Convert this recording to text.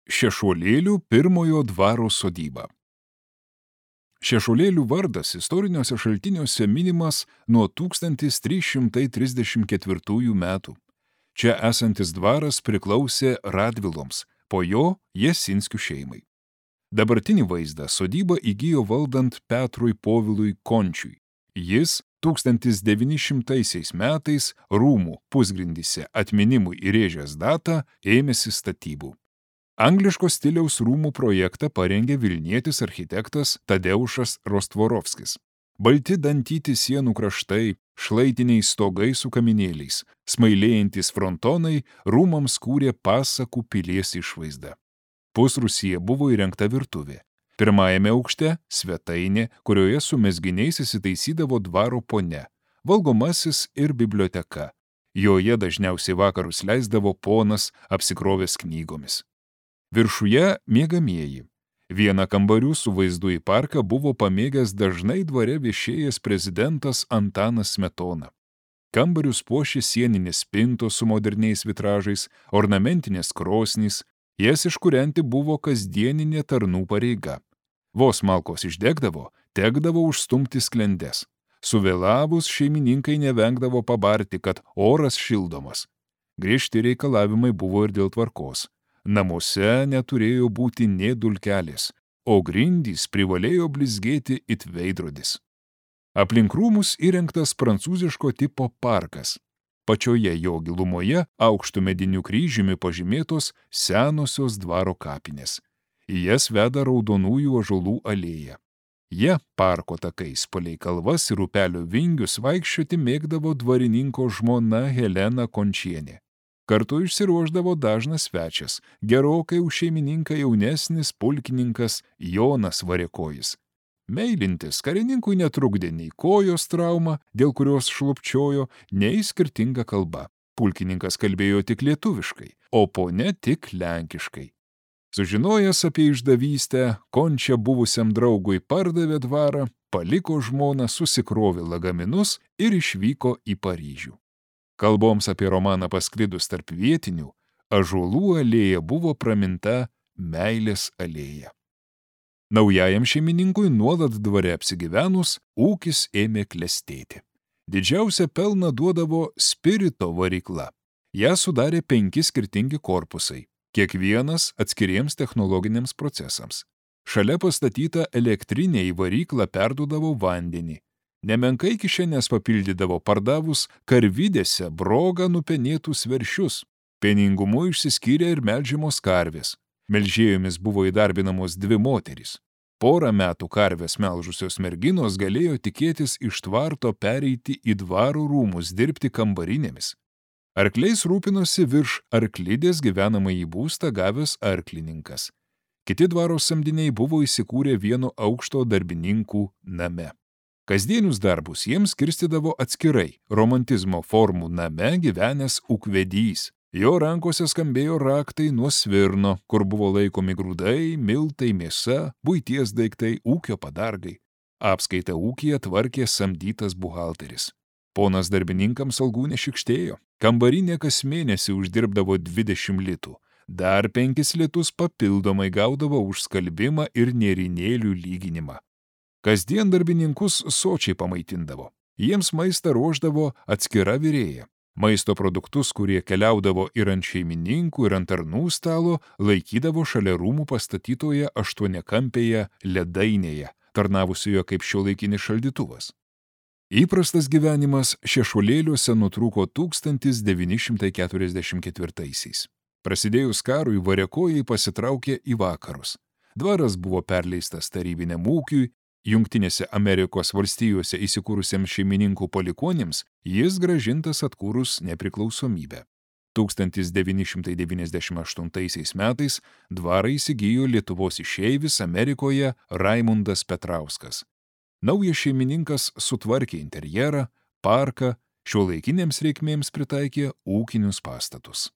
Šešuolėlių pirmojo dvaro sodyba. Šešuolėlių vardas istoriniuose šaltiniuose minimas nuo 1334 metų. Čia esantis dvaras priklausė Radviloms, po jo Jasinskių šeimai. Dabartinį vaizdą sodyba įgijo valdant Petrui Povilui Končiui. Jis 1900 metais rūmų pusgrindyse atminimui įrėžęs datą ėmėsi statybų. Angliško stiliaus rūmų projektą parengė vilnietis architektas Tadeušas Rostvorovskis. Balti dantyti sienų kraštai, šlaitiniai stogai su kaminėliais, smailėjantis frontonai rūmams kūrė pasakų pilies išvaizdą. Pusrūsyje buvo įrengta virtuvė. Pirmajame aukšte svetainė, kurioje su mezginiais įsitaisydavo dvaro ponia, valgomasis ir biblioteka. Joje dažniausiai vakarus leisdavo ponas apsikrovęs knygomis. Viršuje miegamieji. Vieną kambarių su vaizdu į parką buvo pamėgęs dažnai dvare viešėjęs prezidentas Antanas Smetona. Kambarius puošė sieninės spintos su moderniais vitražais, ornamentinės krosnys, jas iškūrenti buvo kasdieninė tarnų pareiga. Vos malkos išdegdavo, tekdavo užstumti sklendes. Suvėlavus šeimininkai nevengdavo pabarti, kad oras šildomas. Griežti reikalavimai buvo ir dėl tvarkos. Namuose neturėjo būti nė dulkelės, o grindys privalėjo blizgėti it veidrodis. Aplink rūmus įrengtas prancūziško tipo parkas. Pačioje jo gilumoje aukštų medinių kryžiumi pažymėtos senosios dvaro kapinės. Į jas veda raudonųjų ąžuolų alėja. Jie parko takais palei kalvas ir upelio vingius vaikščioti mėgdavo dvarininko žmona Helena Končienė. Kartu išsiruošdavo dažnas svečias, gerokai už šeimininką jaunesnis pulkininkas Jonas Variakojis. Meilintis karininkui netrukdė nei kojos trauma, dėl kurios šlubčiojo, nei skirtinga kalba. Pulkininkas kalbėjo tik lietuviškai, o ponia tik lenkiškai. Sužinojęs apie išdavystę, Končia buvusiam draugui pardavė dvarą, paliko žmoną, susikrovė lagaminus ir išvyko į Paryžių. Kalboms apie romaną pasklidus tarp vietinių, ąžuolų alėja buvo praminta meilės alėja. Naujajam šeimininkui nuolat dvare apsigyvenus, ūkis ėmė klestėti. Didžiausią pelną duodavo spirito varykla. Ją sudarė 5 skirtingi korpusai, kiekvienas atskiriems technologiniams procesams. Šalia pastatyta elektrinė į varyklą perduodavo vandenį. Nemenkai kišenės papildydavo pardavus karvidėse brogą nupenėtus veršius. Pieningumu išsiskyrė ir melžiamos karvės. Melžėjomis buvo įdarbinamos 2 moterys. Porą metų karvės melžusios merginos galėjo tikėtis iš tvarto pereiti į dvaro rūmus dirbti kambarinėmis. Arkliais rūpinosi virš arklidės gyvenamąjį būstą gavęs arklininkas. Kiti dvaro samdiniai buvo įsikūrę vieno aukšto darbininkų name. Kasdienius darbus jiems skirstydavo atskirai romantizmo formų name gyvenęs ūkvedys. Jo rankose skambėjo raktai nuo svirno, kur buvo laikomi grūdai, miltai, mėsa, buities daiktai, ūkio padargai. Apskaitą ūkyje tvarkė samdytas buhalteris. Ponas darbininkams algų nešikštėjo. Kambarinė kas mėnesį uždirbdavo 20 litų. Dar 5 litus papildomai gaudavo už skalbimą ir nėrinėlių lyginimą. Kasdien darbininkus sočiai pamaitindavo. Jiems maistą ruošdavo atskira virėja. Maisto produktus, kurie keliaudavo ir ant šeimininkų, ir ant tarnų stalo, laikydavo šalia rūmų pastatytoje 8-kampėje ledainėje, tarnavusioje kaip šiuolaikinis šaldytuvas. Įprastas gyvenimas Šešuolėliuose nutrūko 1944-aisiais. Prasidėjus karui Variakojai pasitraukė į vakarus. Dvaras buvo perleistas tarybiniam ūkiui, Jungtinėse Amerikos valstijose įsikūrusiems šeimininkų palikuonims jis grąžintas atkūrus nepriklausomybę. 1998 metais dvarą įsigijo Lietuvos išeivis Amerikoje Raimundas Petrauskas. Naujas šeimininkas sutvarkė interjerą, parką, šiuolaikinėms reikmėms pritaikė ūkinius pastatus.